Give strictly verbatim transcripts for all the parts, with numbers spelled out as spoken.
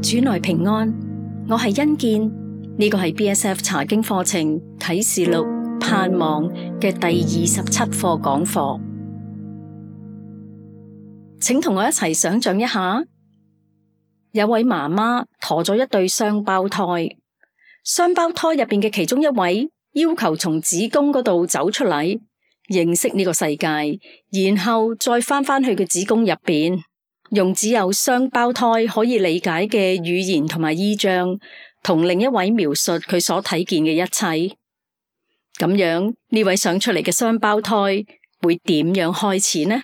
主內平安，我係欣健，呢個係 B S F 查經課程啟示錄盼望嘅第二十七課講課，請同我一齊想象一下，有位媽媽陀咗一對雙胞胎，雙胞胎入邊嘅其中一位要求從子宮嗰度走出嚟，認識呢個世界，然後再翻返去佢子宮入邊。用只有雙胞胎可以理解嘅語言同埋意象，同另一位描述佢所睇見嘅一切。咁樣呢位想出嚟嘅雙胞胎會點樣開始呢？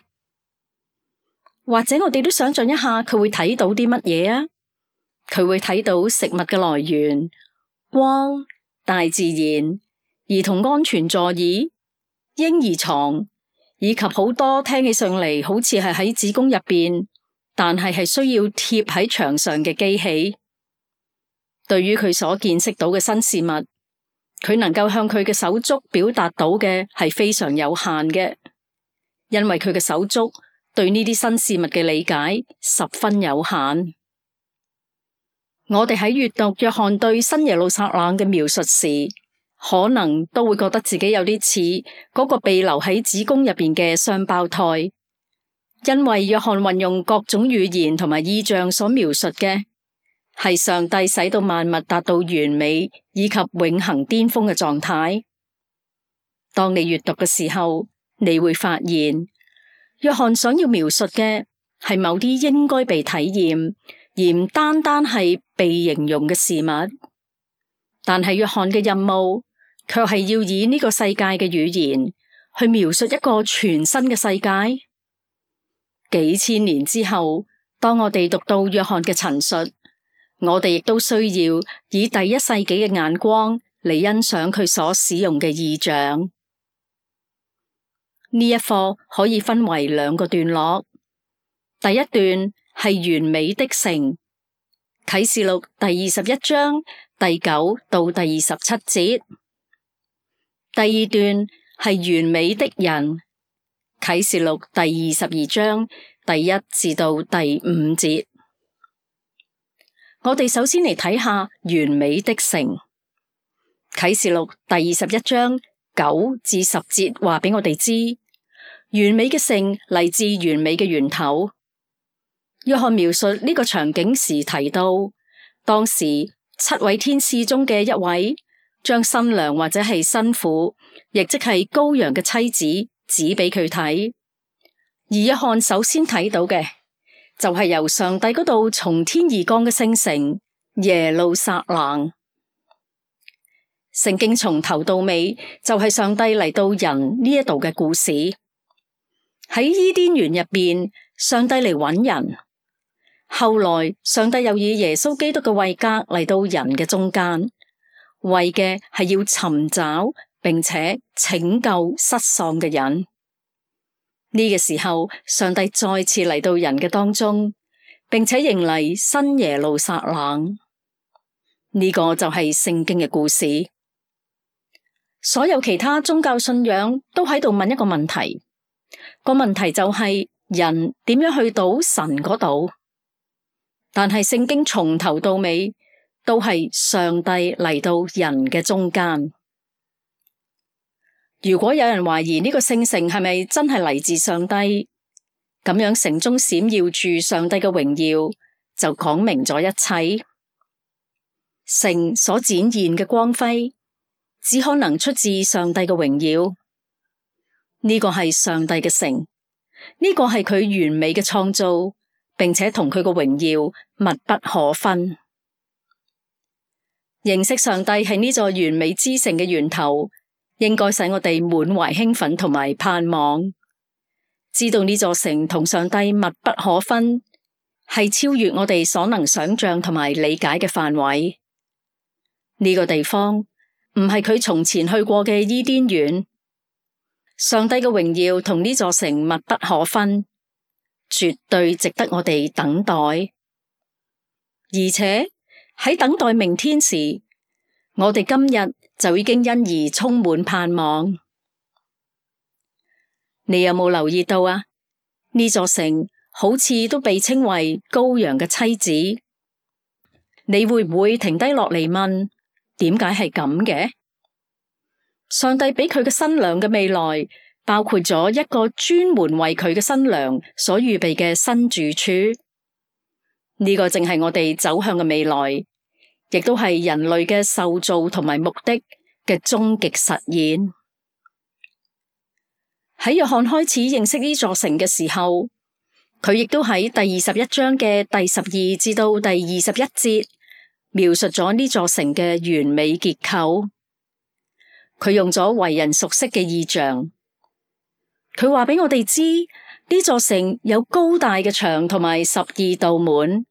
或者我哋都想象一下，佢會睇到啲乜嘢啊？佢會睇到食物嘅來源、光、大自然、兒童安全座椅、嬰兒床，以及好多聽起上嚟好似係喺子宮入邊，但係係需要貼喺牆上嘅機器。對於佢所見識到嘅新事物，佢能夠向佢嘅手足表達到嘅係非常有限嘅，因為佢嘅手足對呢啲新事物嘅理解十分有限。我哋喺閱讀約翰對新耶路撒冷嘅描述時，可能都會覺得自己有啲似嗰個被留喺子宮入邊嘅雙胞胎。因為約翰運用各種語言同埋意象所描述嘅，係上帝使到萬物達到完美以及永恆巔峰嘅狀態。當你閱讀嘅時候，你會發現，約翰想要描述嘅係某啲應該被體驗，而唔單單係被形容嘅事物。但係約翰嘅任務，卻係要以呢個世界嘅語言去描述一個全新嘅世界。幾千年之後，當我哋讀到約翰嘅陳述，我哋亦都需要以第一世紀嘅眼光嚟欣賞佢所使用嘅意象。呢一課可以分為兩個段落，第一段係完美的城，啟示錄第二十一章第九到第二十七節；第二段係完美的人，啟示錄第二十二章第一至到第五節。我哋首先嚟睇下完美的城。啟示錄第二十一章九至十節話俾我哋知，完美嘅城嚟自完美嘅源頭。約翰描述呢個場景時提到，當時七位天使中嘅一位將新娘或者係新婦，亦即係羔羊嘅妻子指俾佢睇。而約翰首先睇到嘅就係由上帝嗰度從天而降嘅聖城耶路撒冷。聖經從頭到尾就係上帝嚟到人呢一度嘅故事。喺伊甸園入邊，上帝嚟揾人，後來上帝又以耶穌基督嘅位格嚟到人嘅中間，為嘅係要尋找並且拯救失喪嘅人。呢個時候，上帝再次嚟到人嘅當中，並且迎嚟新耶路撒冷。呢個就係聖經嘅故事。所有其他宗教信仰都喺度問一個問題，個問題就係人點樣去到神嗰度？但係聖經從頭到尾都係上帝嚟到人嘅中間。如果有人懷疑呢個聖城係咪真係嚟自上帝，咁樣城中閃耀住上帝嘅榮耀，就講明咗一切。城所展現嘅光輝，只可能出自上帝嘅榮耀。呢個係上帝嘅城，呢個係佢完美嘅創造，並且同佢嘅榮耀密不可分。認識上帝係呢座完美之城嘅源頭，應該使我哋滿懷興奮同埋盼望，知道呢座城同上帝密不可分，係超越我哋所能想象同埋理解嘅範圍。呢個地方唔係佢從前去過嘅伊甸園，上帝嘅榮耀同呢座城密不可分，絕對值得我哋等待。而且喺等待明天時，我哋今日就已經因而充滿盼望。你有冇留意到啊？呢座城好似都被稱為羔羊嘅妻子。你會唔會停低落嚟問，點解係咁嘅？上帝俾佢嘅新娘嘅未來，包括咗一個專門為佢嘅新娘所預備嘅新住處。呢個正係我哋走向嘅未來，亦都係人類嘅受造同埋目的嘅終極實現。喺約翰開始認識呢座城嘅時候，佢亦都喺第二十一章嘅第十二至到第二十一節描述咗呢座城嘅完美結構。佢用咗為人熟悉嘅意象，佢話俾我哋知呢座城有高大嘅牆同埋十二道門。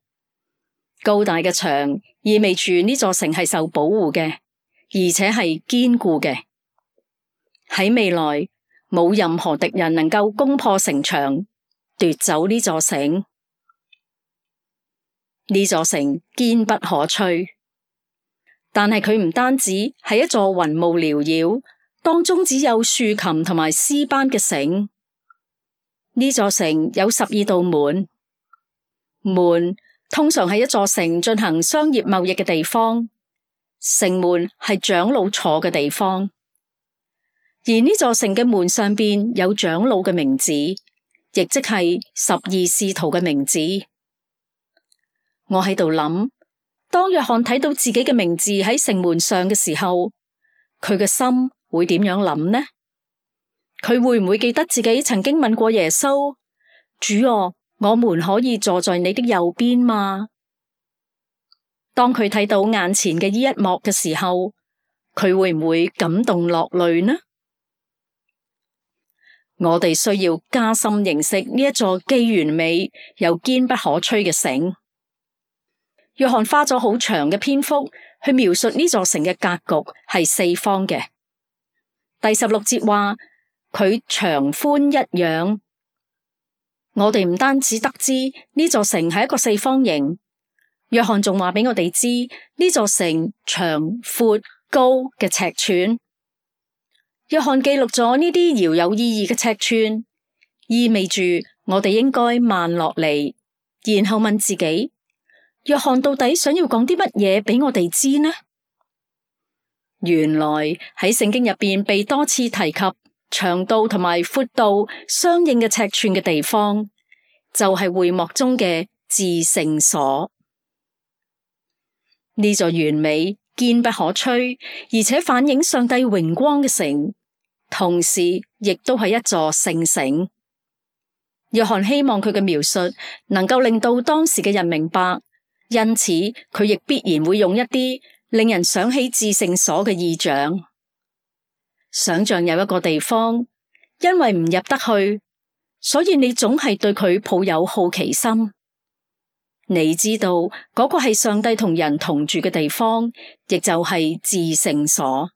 高大嘅牆意味住呢座城係受保護嘅，而且係堅固嘅。喺未來冇任何敵人能夠攻破城牆，奪走呢座城。呢座城堅不可摧。但係佢唔單止係一座雲霧繚繞，當中只有豎琴同埋絲斑嘅城。呢座城有十二道門，門通常係一座城進行商業貿易嘅地方，城門係長老坐嘅地方。而呢座城嘅門上邊有長老嘅名字，亦即係十二使徒嘅名字。我喺度諗，當約翰睇到自己嘅名字喺城門上嘅時候，佢嘅心會點樣諗呢？佢會唔會記得自己曾經問過耶穌：主啊，我們可以坐在你的右邊嗎？當佢睇到眼前嘅呢一幕嘅時候，佢會唔會感動落淚呢？我哋需要加深認識呢一座既完美又堅不可摧嘅城。約翰花咗好長嘅篇幅去描述呢座城嘅格局係四方嘅。第十六節話佢長寬一樣。我哋唔單止得知呢座城係一個四方形，約翰仲話俾我哋知呢座城長、闊、高嘅尺寸。約翰記錄咗呢啲遙有意義嘅尺寸，意味住我哋應該慢落嚟，然後問自己：約翰到底想要講啲乜嘢俾我哋知呢？原來喺聖經入邊被多次提及長度同埋闊度相應嘅尺寸嘅地方，就係會幕中嘅至聖所。呢座完美堅不可摧，而且反映上帝榮光嘅城，同時亦都係一座聖城。約翰希望佢嘅描述能夠令到當時嘅人明白，因此佢亦必然會用一啲令人想起至聖所嘅意象。想象有一個地方，因為唔入得去，所以你總係對佢抱有好奇心。你知道嗰個係上帝同人同住嘅地方，亦就係至聖所。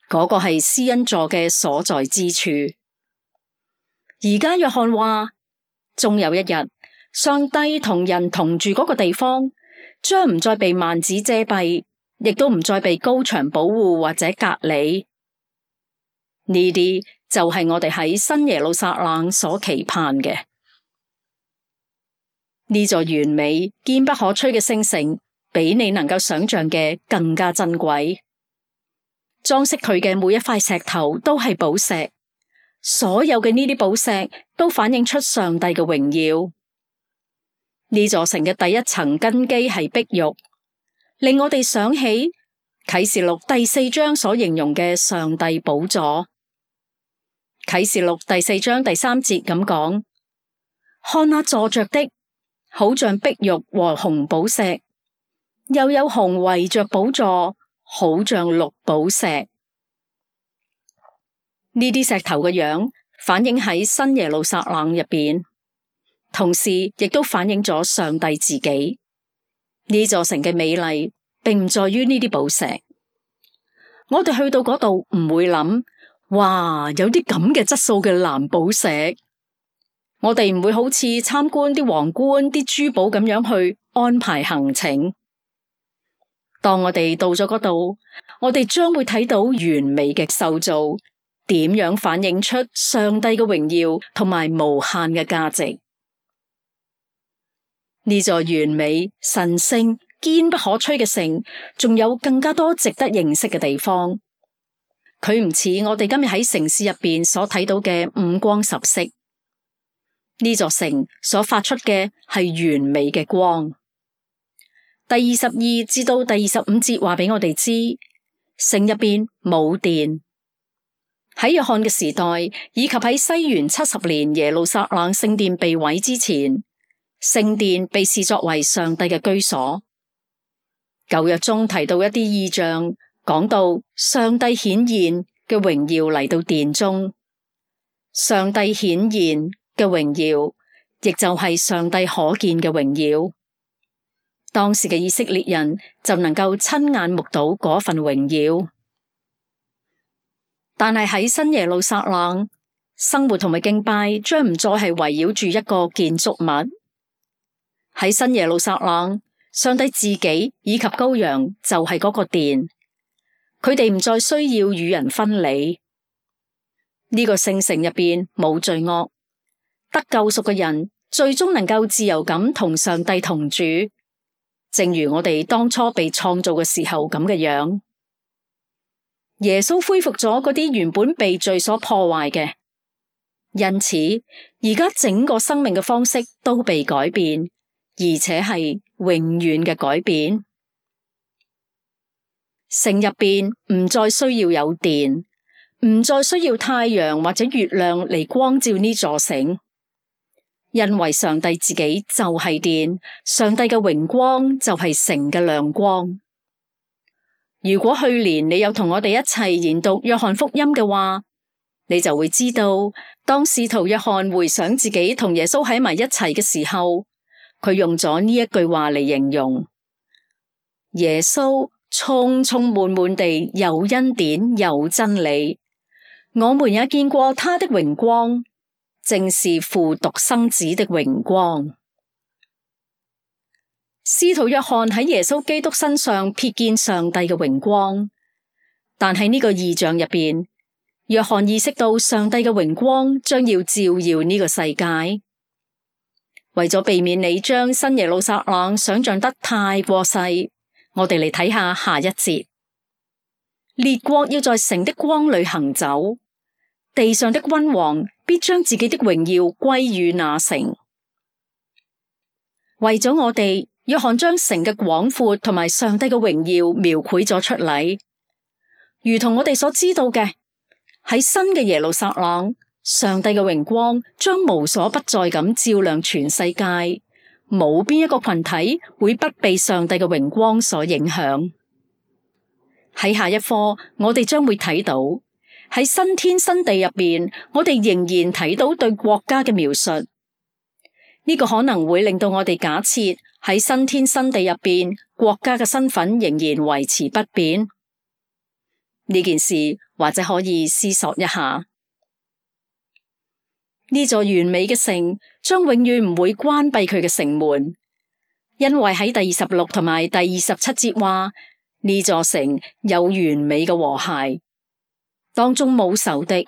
嗰個係施恩座嘅所在之處。而家約翰話，終有一日，上帝同人同住嗰個地方，將唔再被幔子遮蔽，亦都唔再被高牆保護或者隔離。呢啲就係我哋喺新耶路撒冷所期盼嘅。呢座完美堅不可摧嘅聖城，比你能夠想象嘅更加珍貴。裝飾佢嘅每一塊石頭都係寶石，所有嘅呢啲寶石都反映出上帝嘅榮耀。呢座城嘅第一層根基係碧玉，令我哋想起啟示錄第四章所形容嘅上帝寶座。啟示錄第四章第三節咁講：看那坐着的，好像碧玉和紅寶石，又有虹圍着寶座，好像綠寶石。呢啲石頭嘅樣反映喺新耶路撒冷入邊，同時亦都反映咗上帝自己。呢座城嘅美麗並唔在於呢啲寶石。我哋去到嗰度唔會諗，哇，有啲咁嘅質素嘅藍寶石。我哋唔會好似參觀啲皇冠、啲珠寶咁樣去安排行程。當我哋到咗嗰度，我哋將會睇到完美嘅受造，點樣反映出上帝嘅榮耀同埋無限嘅價值。呢座完美、神聖、堅不可摧嘅城，仲有更加多值得認識嘅地方。佢唔似我哋今日喺城市入邊所睇到嘅五光十色。呢座城所發出嘅係完美嘅光。第二十二至到第二十五節話俾我哋知，城入邊冇電。喺約翰嘅時代，以及喺西元七十年耶路撒冷聖殿被毀之前，聖殿被視作為上帝嘅居所。舊約中提到一啲異象，講到上帝顯現嘅榮耀嚟到殿中。上帝顯現嘅榮耀，亦就係上帝可見嘅榮耀。當時嘅以色列人就能夠親眼目睹嗰份榮耀。但係喺新耶路撒冷，生活同埋敬拜將唔再係圍繞住一個建築物。喺新耶路撒冷，上帝自己以及羔羊就係嗰個殿，佢哋唔再需要與人分離。呢個聖城入邊冇罪惡，得救贖嘅人最終能夠自由咁同上帝同住，正如我哋當初被創造嘅時候咁嘅樣。耶穌恢復咗嗰啲原本被罪所破壞嘅，因此而家整個生命嘅方式都被改變，而且係永遠嘅改變。城入邊唔再需要有電，唔再需要太陽或者月亮嚟光照呢座城，因為上帝自己就係電，上帝嘅榮光就係城嘅亮光。如果去年你有同我哋一齊研讀約翰福音嘅話，你就會知道，當使徒約翰回想自己同耶穌喺埋一齊嘅時候，佢用咗呢一句話嚟形容：耶穌充充滿滿地有恩典有真理，我們也見過他的榮光，正是父獨生子的榮光。使徒約翰喺耶穌基督身上瞥見上帝嘅榮光，但喺呢個異象入邊，約翰意識到上帝嘅榮光將要照耀呢個世界。為咗避免你將新耶路撒冷想象得太過細，我哋嚟睇下下一節。列國要在城的光裏行走，地上的君王必將自己的榮耀歸於那城。為咗我哋，約翰將城嘅廣闊同埋上帝嘅榮耀描繪咗出嚟，如同我哋所知道嘅，喺新嘅耶路撒冷，上帝嘅榮光將無所不在咁照亮全世界，冇邊一個群體會不被上帝嘅榮光所影響。喺下一課，我哋將會睇到喺新天新地入邊，我哋仍然睇到對國家嘅描述。呢個可能會令到我哋假設喺新天新地入邊，國家嘅身份仍然維持不變。呢件事或者可以思索一下。呢座完美嘅城將永遠唔會關閉佢嘅城門，因為喺第二十六同埋第二十七節話，呢座城有完美嘅和諧，當中冇仇敵，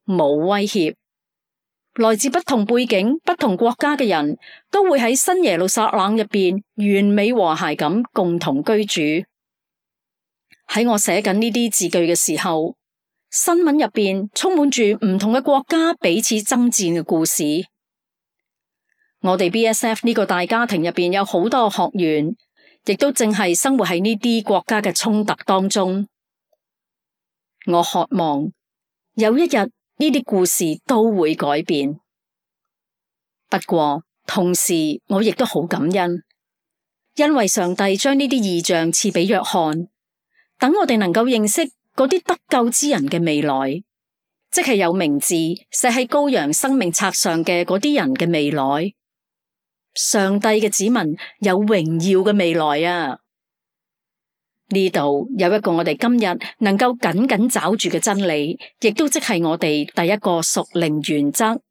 冇威脅。來自不同背景、不同國家嘅人都會喺新耶路撒冷入邊完美和諧咁共同居住。喺我寫緊呢啲字句嘅時候，新聞入邊充滿住唔同嘅國家彼此爭戰嘅故事。我哋 B S F 呢個大家庭入邊有好多學員，亦都正係生活喺呢啲國家嘅衝突當中。我渴望有一日，呢啲故事都會改變，不過同時我亦都好感恩，因為上帝將呢啲異象賜俾約翰，等我哋能夠認識嗰啲得救之人嘅未來，即係有名字寫喺羔羊生命冊上嘅嗰啲人嘅未來。上帝嘅子民有榮耀嘅未來啊！呢度有一個我哋今日能夠緊緊抓住嘅真理，亦都即係我哋第一個屬靈原則。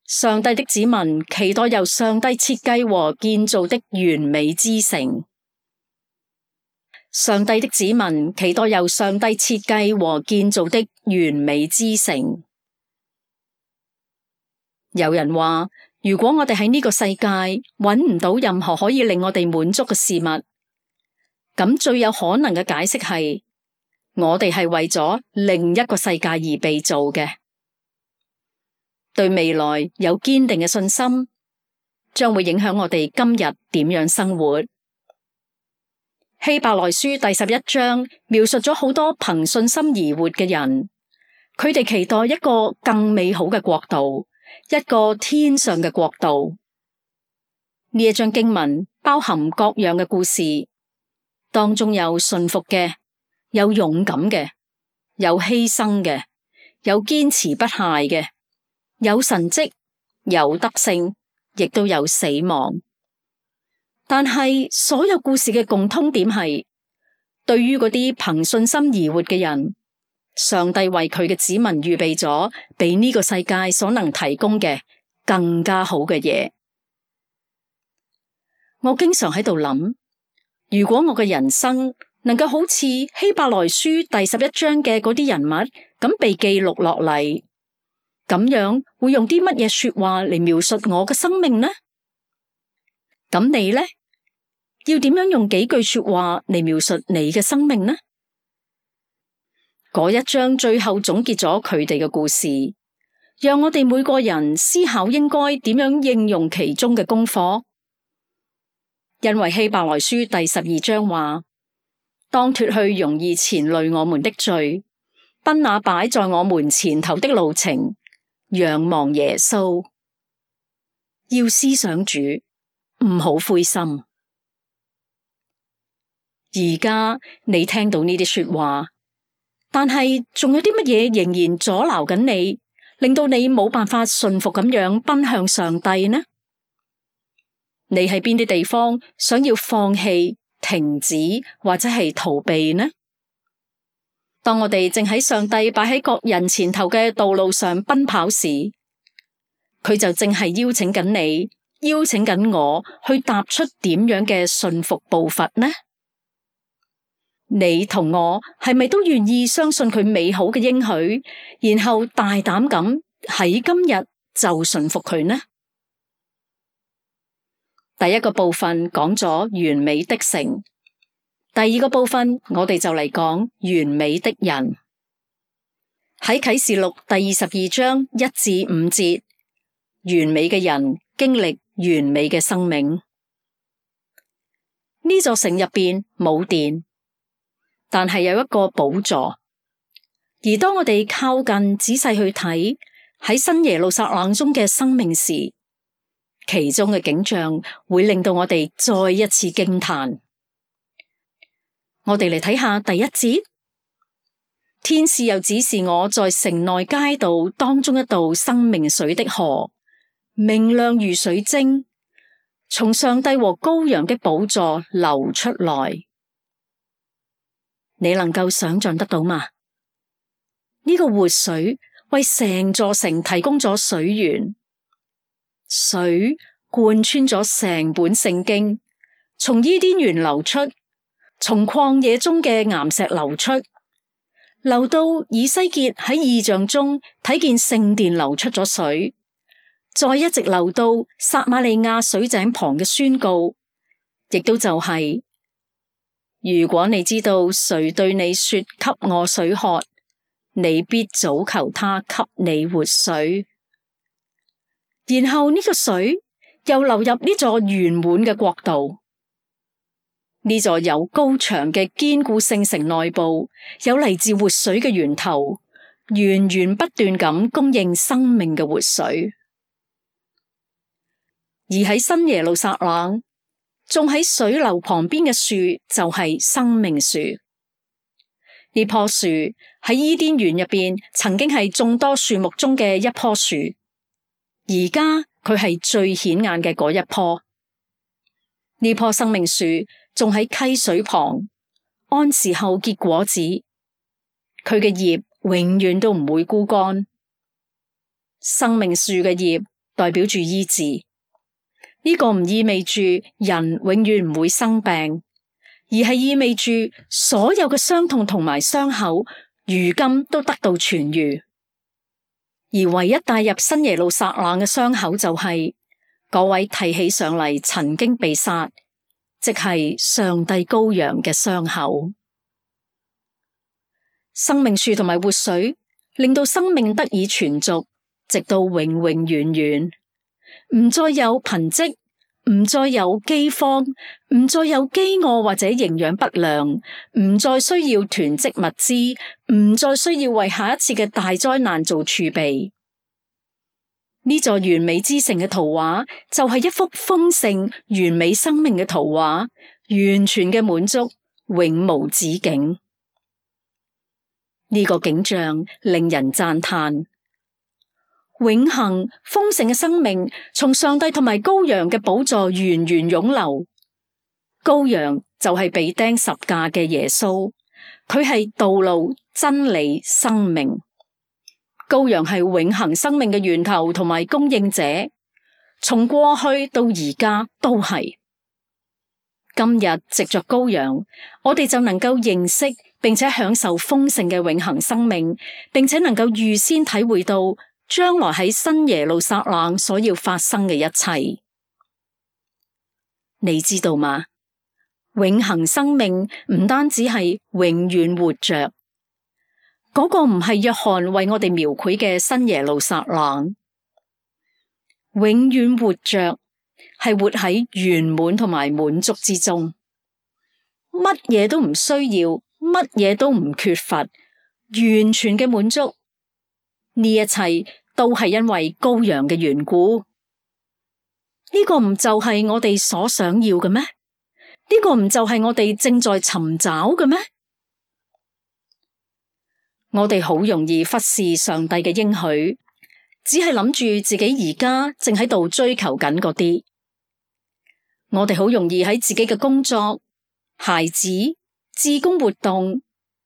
上帝的子民期待由上帝設計和建造的完美之城。上帝的子民期待由上帝設計和建造的完美之城。有人話，如果我哋喺呢個世界揾唔到任何可以令我哋滿足嘅事物，咁最有可能嘅解釋係，我哋係為咗另一個世界而被造嘅。對未來有堅定嘅信心，將會影響我哋今日點樣生活。希伯來書第十一章描述咗好多憑信心而活嘅人，佢哋期待一個更美好嘅國度，一個天上嘅國度。呢一章經文包含各樣嘅故事，當中有順服嘅，有勇敢嘅，有犧牲嘅，有堅持不懈嘅，有神蹟，有得勝，亦都有死亡。但係所有故事嘅共通點係，對於嗰啲憑信心而活嘅人，上帝為佢嘅子民預備咗比呢個世界所能提供嘅更加好嘅嘢。我經常喺度諗，如果我嘅人生能夠好似希伯來書第十一章嘅嗰啲人物咁被記錄落嚟，咁樣會用啲乜嘢說話嚟描述我嘅生命呢？咁你呢？要點樣用幾句說話嚟描述你嘅生命呢？嗰一章最後總結咗佢哋嘅故事，讓我哋每個人思考應該點樣應用其中嘅功課。因為希伯來書第十二章話，當脫去容易纏累我們的罪，奔那擺在我們前頭的路程，仰望耶穌，要思想主，唔好灰心。而家你聽到呢啲說話，但係仲有啲乜嘢仍然阻撓緊你，令到你冇辦法順服咁樣奔向上帝呢？你喺邊啲地方想要放棄、停止或者係逃避呢？當我哋正喺上帝擺喺各人前頭嘅道路上奔跑時，佢就正係邀請緊你，邀請緊我去踏出點樣嘅順服步伐呢？你同我係咪都願意相信佢美好嘅應許，然後大膽咁喺今日就順服佢呢？第一個部分講咗完美的城，第二個部分我哋就嚟講完美的人。喺啟示錄第二十二章一至五節，完美嘅人經歷完美嘅生命。呢座城入邊冇電，但係有一個寶座。而當我哋靠近仔細去睇喺新耶路撒冷中嘅生命時，其中嘅景象會令到我哋再一次驚嘆。我哋嚟睇下第一節，天使又指示我在城內街道當中一道生命水的河，明亮如水晶，從上帝和羔羊的寶座流出來。你能夠想象得到嗎？呢個活水為成座城提供咗水源，水貫穿咗成本聖經，從伊甸園流出，從曠野中嘅岩石流出，流到以西結喺異象中睇見聖殿流出咗水，再一直流到撒瑪利亞水井旁嘅宣告，亦都就係、是，如果你知道誰對你說給我水喝，你必早求他給你活水。然後呢個水又流入呢座圓滿嘅國度，呢座有高牆嘅堅固聖城內部有嚟自活水嘅源頭，源源不斷咁供應生命嘅活水。而喺新耶路撒冷，種喺水流旁邊嘅樹就係生命樹。呢棵樹喺伊甸園入邊曾經係眾多樹木中嘅一棵樹，而家佢係最顯眼嘅嗰一棵。呢棵生命樹種喺溪水旁，按時候結果子，佢嘅葉永遠都唔會枯乾。生命樹嘅葉代表住醫治，呢個唔意味住人永遠唔會生病，而係意味住所有嘅傷痛同埋傷口，如今都得到痊癒。而唯一帶入新耶路撒冷嘅傷口就係嗰位提起上嚟曾經被殺，即係上帝羔羊嘅傷口。生命樹同埋活水，令到生命得以存續，直到永永遠遠，唔再有貧瘠，唔再有饑荒，唔再有飢餓或者營養不良，唔再需要囤積物資，唔再需要為下一次嘅大災難做儲備。呢座完美之城嘅圖畫就係一幅豐盛完美生命嘅圖畫，完全嘅滿足，永無止境。呢個景象令人讚嘆。永恆豐盛嘅生命從上帝同埋羔羊嘅寶座源源湧流。羔羊就係被釘十架嘅耶穌，佢係道路、真理、生命。羔羊係永恆生命嘅源頭同埋供應者，從過去到而家都係。今日藉着羔羊，我哋就能夠認識並且享受豐盛嘅永恆生命，並且能夠預先體會到將來喺新耶路撒冷所要發生嘅一切。你知道嗎？永恆生命唔單止係永遠活着，嗰個唔係約翰為我哋描繪嘅新耶路撒冷。永遠活着係活喺圓滿同埋滿足之中，乜嘢都唔需要，乜嘢都唔缺乏，完全嘅滿足。呢一切都係因為羔羊嘅緣故。呢個唔就係我哋所想要嘅咩？呢個唔就係我哋正在尋找嘅咩？我哋好容易忽視上帝嘅應許，只係諗住自己而家正喺度追求緊嗰啲。我哋好容易喺自己嘅工作、孩子、志工活動、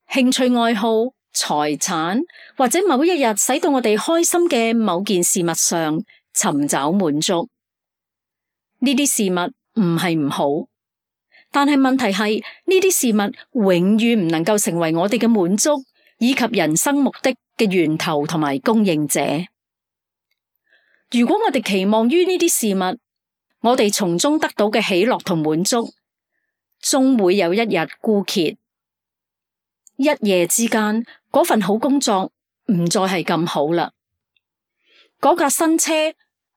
興趣愛好、財產或者某一日使到我哋開心嘅某件事物上尋找滿足。呢啲事物唔係唔好，但係問題係呢啲事物永遠唔能夠成為我哋嘅滿足以及人生目的嘅源頭同埋供應者。如果我哋期望於呢啲事物，我哋從中得到嘅喜樂同滿足，終會有一日枯竭。一夜之間，嗰份好工作唔再係咁好啦。嗰架新車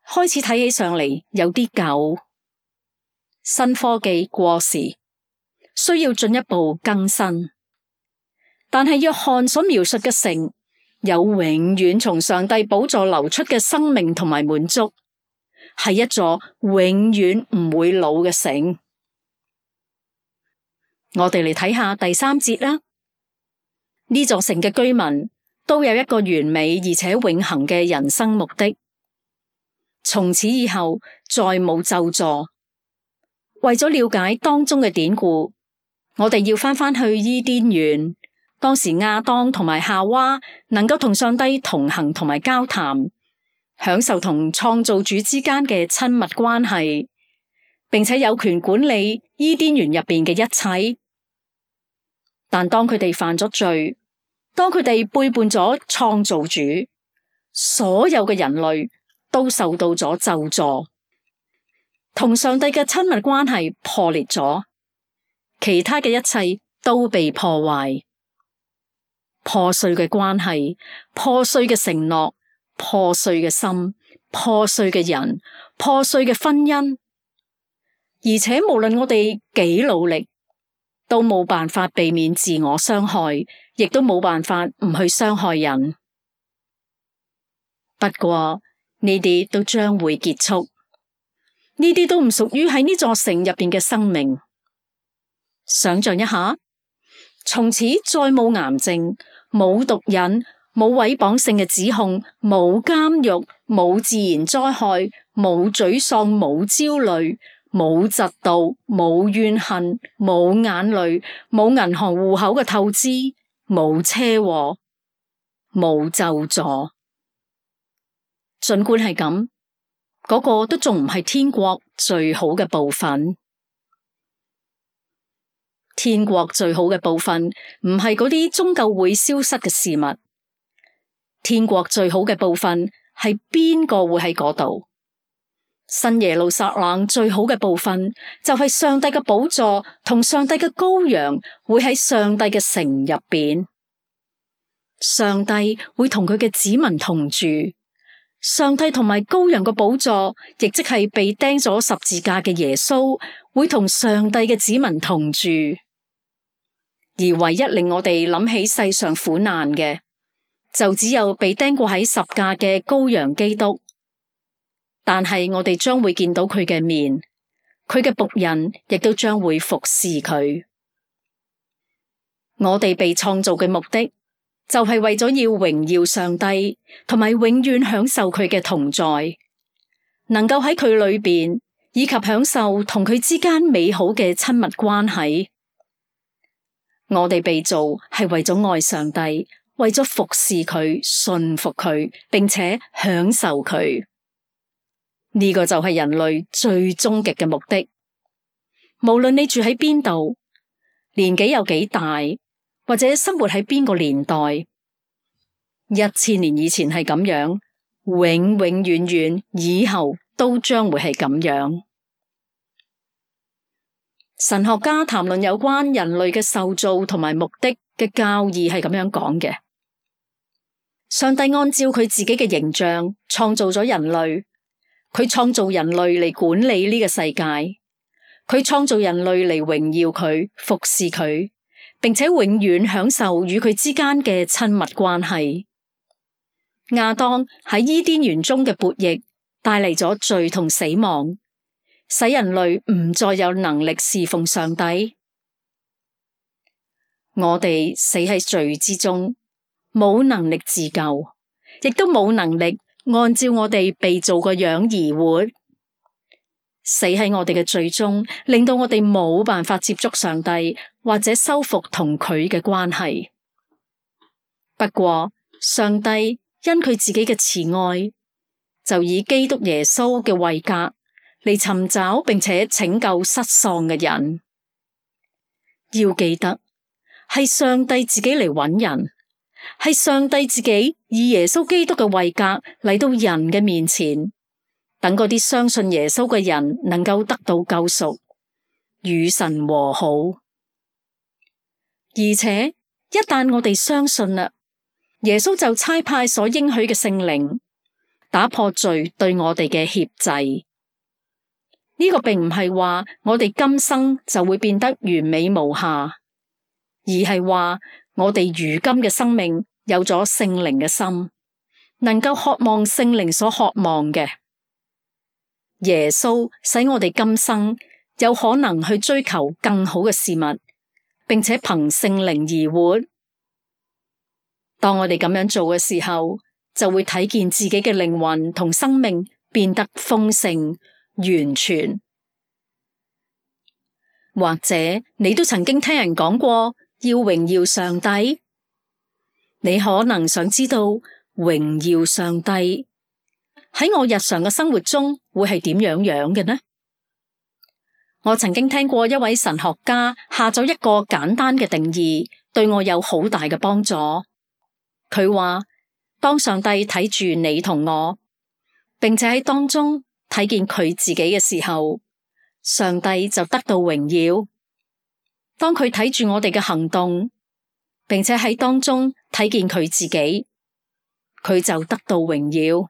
開始睇起上嚟有啲舊，新科技過時，需要進一步更新。但係約翰所描述嘅城，有永遠從上帝寶座流出嘅生命同埋滿足，係一座永遠唔會老嘅城。我哋嚟睇下第三節啦。呢座城嘅居民都有一個完美而且永恆嘅人生目的，從此以後再冇咒詛。為咗了解當中嘅典故，我哋要翻返去伊甸園。當時亞當同埋夏娃能夠同上帝同行同埋交談，享受同創造主之間嘅親密關係，並且有權管理伊甸園入邊嘅一切。但當佢哋犯咗罪，當佢哋背叛咗創造主，所有嘅人類都受到咗咒詛，同上帝嘅親密關係破裂咗，其他嘅一切都被破壞。破碎嘅關係，破碎嘅承諾，破碎嘅心，破碎嘅人，破碎嘅婚姻，而且無論我哋幾努力，都冇辦法避免自我傷害，亦都冇辦法唔去傷害人。不過呢啲都將會結束，呢啲都唔屬於喺呢座城入邊嘅生命。想象一下，從此再冇癌症，冇毒癮，冇毀謗性嘅指控，冇監獄，冇自然災害，冇沮喪，冇焦慮，冇嫉妒，冇怨恨，冇眼淚，冇銀行戶口嘅透支，冇車禍，冇咒詛。儘管係咁，嗰個都仲唔係天國最好嘅部分。天國最好嘅部分唔係嗰啲終究會消失嘅事物，天國最好嘅部分係邊個會喺嗰度？新耶路撒冷最好嘅部分就係上帝嘅寶座同上帝嘅羔羊會喺上帝嘅城入邊，上帝會同佢嘅子民同住，上帝同埋羔羊嘅寶座，亦即係被釘咗十字架嘅耶穌，會同上帝嘅子民同住。而唯一令我哋諗起世上苦難嘅，就只有被釘過喺十架嘅羔羊基督。但係我哋將會見到佢嘅面，佢嘅僕人亦都將會服侍佢。我哋被創造嘅目的就係為咗要榮耀上帝，同埋永遠享受佢嘅同在，能夠喺佢裏邊，以及享受同佢之間美好嘅親密關係。我哋被造係為咗愛上帝，為咗服侍佢、信服佢，並且享受佢。呢個就係人類最終極嘅目的。無論你住喺邊度，年紀有幾大，或者生活喺邊個年代，一千年以前係咁樣，永永遠遠以後都將會係咁樣。神學家談論有關人類嘅受造同埋目的嘅教義係咁樣講嘅：上帝按照佢自己嘅形象創造咗人類。佢創造人類嚟管理呢個世界，佢創造人類嚟榮耀佢、服侍佢，並且永遠享受與佢之間嘅親密關係。亞當喺伊甸園中嘅悖逆帶嚟咗罪同死亡，使人類唔再有能力侍奉上帝。我哋死喺罪之中，冇能力自救，亦都冇能力按照我哋被造個樣而活，死喺我哋嘅罪中，令到我哋冇辦法接觸上帝，或者修復同佢嘅關係。不過，上帝因佢自己嘅慈愛，就以基督耶穌嘅位格嚟尋找並且拯救失喪嘅人。要記得，係上帝自己嚟揾人。係上帝自己以耶穌基督嘅位格嚟到人嘅面前，等嗰啲相信耶穌嘅人能夠得到救贖，與神和好。而且一旦我哋相信啦，耶穌就差派所應許嘅聖靈，打破罪對我哋嘅挾制。呢個並唔係話我哋今生就會變得完美無瑕，而係話我哋如今嘅生命有咗聖靈嘅心，能夠渴望聖靈所渴望嘅。耶穌使我哋今生有可能去追求更好嘅事物，並且憑聖靈而活。當我哋咁樣做嘅時候，就會睇見自己嘅靈魂同生命變得豐盛完全。或者你都曾經聽人講過要榮耀上帝，你可能想知道榮耀上帝喺我日常嘅生活中會係點樣樣嘅呢？我曾經聽過一位神學家下咗一個簡單嘅定義，對我有好大嘅幫助。佢話，當上帝睇住你同我，並且喺當中睇見佢自己嘅時候，上帝就得到榮耀。當佢睇住我哋嘅行動，並且喺當中睇見佢自己，佢就得到榮耀。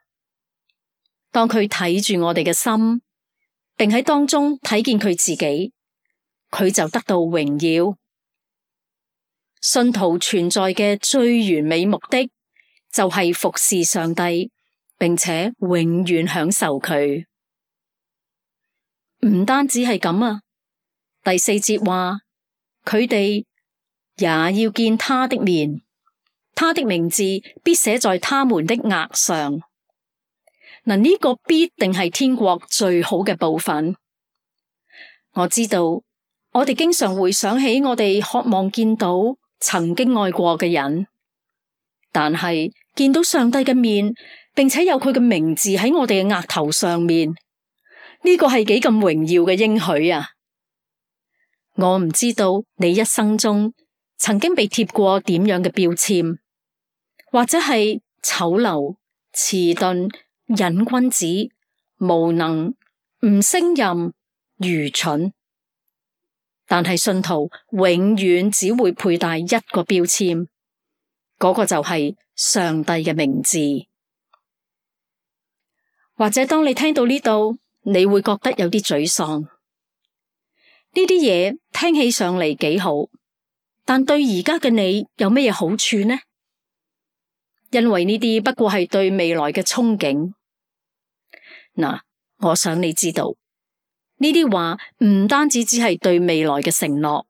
當佢睇住我哋嘅心，並喺當中睇見佢自己，佢就得到榮耀。信徒存在嘅最完美目的，就係服侍上帝，並且永遠享受佢。唔單止係咁啊，第四節話，佢哋也要見他的面，他的名字必寫在他們的額上。嗱，呢個必定係天國最好嘅部分。我知道，我哋經常會想起我哋渴望見到曾經愛過嘅人，但係見到上帝嘅面，並且有佢嘅名字喺我哋嘅額頭上面，呢個係幾咁榮耀嘅應許啊！我唔知道你一生中曾經被貼過點樣嘅標籤，或者係醜陋、遲鈍、癮君子、無能、唔勝任、愚蠢。但係信徒永遠只會佩戴一個標籤，嗰個就係上帝嘅名字。或者當你聽到呢度，你會覺得有啲沮喪。呢啲嘢聽起上嚟幾好，但對而家嘅你有咩嘢好處呢？因為呢啲不過係對未來嘅憧憬。嗱，我想你知道，呢啲話唔單止只係對未來嘅承諾。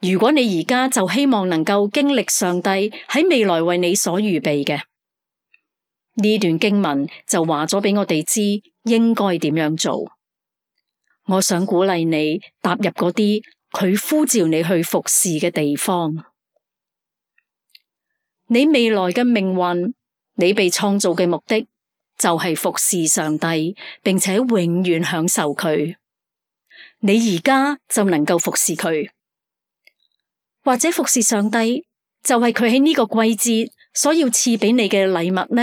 如果你而家就希望能夠經歷上帝喺未來為你所預備嘅，呢段經文就話咗俾我哋知應該點樣做。我想鼓勵你踏入嗰啲佢呼召你去服侍嘅地方。你未來嘅命運，你被創造嘅目的就係服侍上帝，並且永遠享受佢。你而家就能夠服侍佢，或者服侍上帝就係佢喺呢個季節所要賜俾你嘅禮物呢？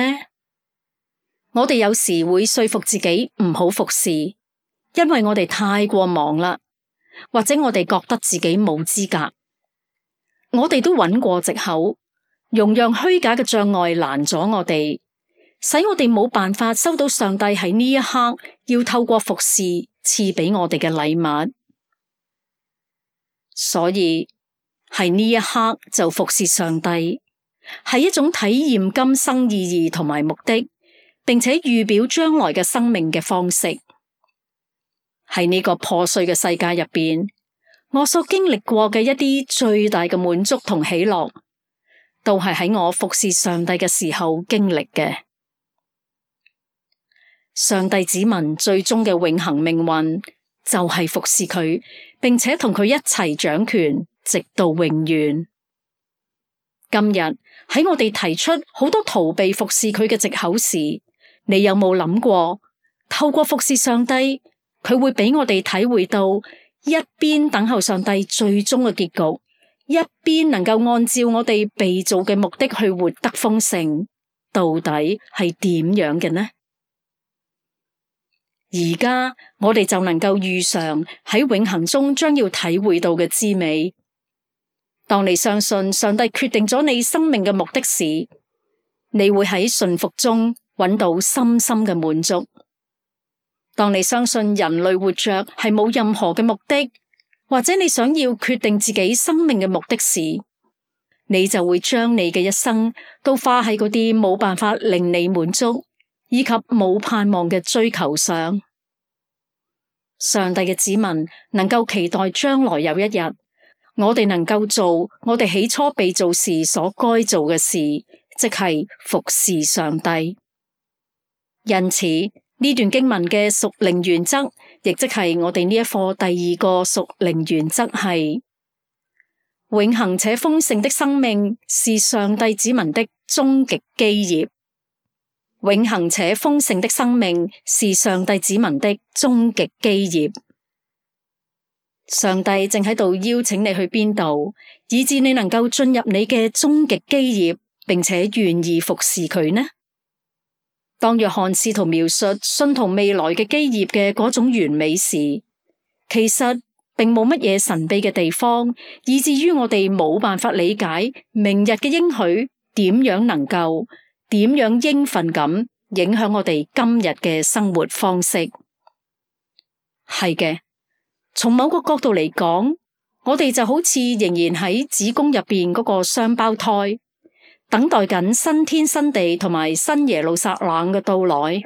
我哋有時會說服自己唔好服侍，因為我哋太過忙啦，或者我哋覺得自己冇資格。我哋都揾過藉口，容讓虛假嘅障礙攔阻我哋，使我哋冇辦法收到上帝喺呢一刻要透過服侍賜俾我哋嘅禮物。所以喺呢一刻就服侍上帝，係一種體驗今生意義同埋目的，並且預表將來嘅生命嘅方式。喺呢個破碎嘅世界入邊，我所經歷過嘅一啲最大嘅滿足同喜樂，都係喺我服侍上帝嘅時候經歷嘅。上帝子民最終嘅永恆命運，就係服侍佢，並且同佢一齊掌權，直到永遠。今日喺我哋提出好多逃避服侍佢嘅藉口時，你有冇諗過，透過服侍上帝，佢會俾我哋體會到一邊等候上帝最終嘅結局，一邊能夠按照我哋被造嘅目的去活得豐盛，到底係點樣嘅呢？而家我哋就能夠預嘗喺永恆中將要體會到嘅滋味。當你相信上帝決定咗你生命嘅目的時，你會喺順服中揾到深深嘅滿足。當你相信人類活着係冇任何嘅目的，或者你想要決定自己生命嘅目的時，你就會將你嘅一生都花喺嗰啲冇辦法令你滿足以及冇盼望嘅追求上。上帝嘅子民能夠期待將來有一日，我哋能夠做我哋起初被造時所該做嘅事，即係服侍上帝。因此呢段經文嘅屬靈原則，亦即係我哋呢一課第二個屬靈原則係：永恆且豐盛的生命是上帝子民的終極基業。永恆且豐盛的生命是上帝子民的終極基業。上帝正喺度邀請你去邊度，以致你能夠進入你嘅終極基業，並且願意服侍佢呢？當約翰試圖描述信徒未來嘅基業嘅嗰種完美時，其實並冇乜嘢神秘嘅地方，以至於我哋冇辦法理解明日嘅應許點樣能夠點樣應份咁影響我哋今日嘅生活方式。係嘅，從某個角度嚟講，我哋就好似仍然喺子宮入邊嗰個雙胞胎，等待緊新天新地同埋新耶路撒冷嘅到來。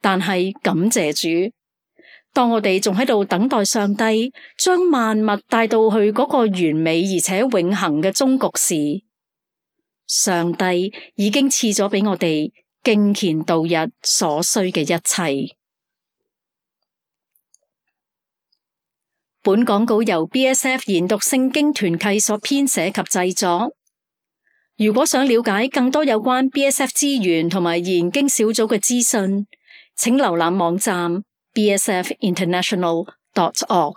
但係感謝主，當我哋仲喺度等待上帝將萬物帶到去嗰個完美而且永恆嘅終局時，上帝已經賜咗俾我哋敬虔度日所需嘅一切。本講稿由 B S F 研讀聖經團契所編寫及製作。如果想了解更多有關 B S F 資源同埋研經小組嘅資訊，請瀏覽網站 b s f international dot org。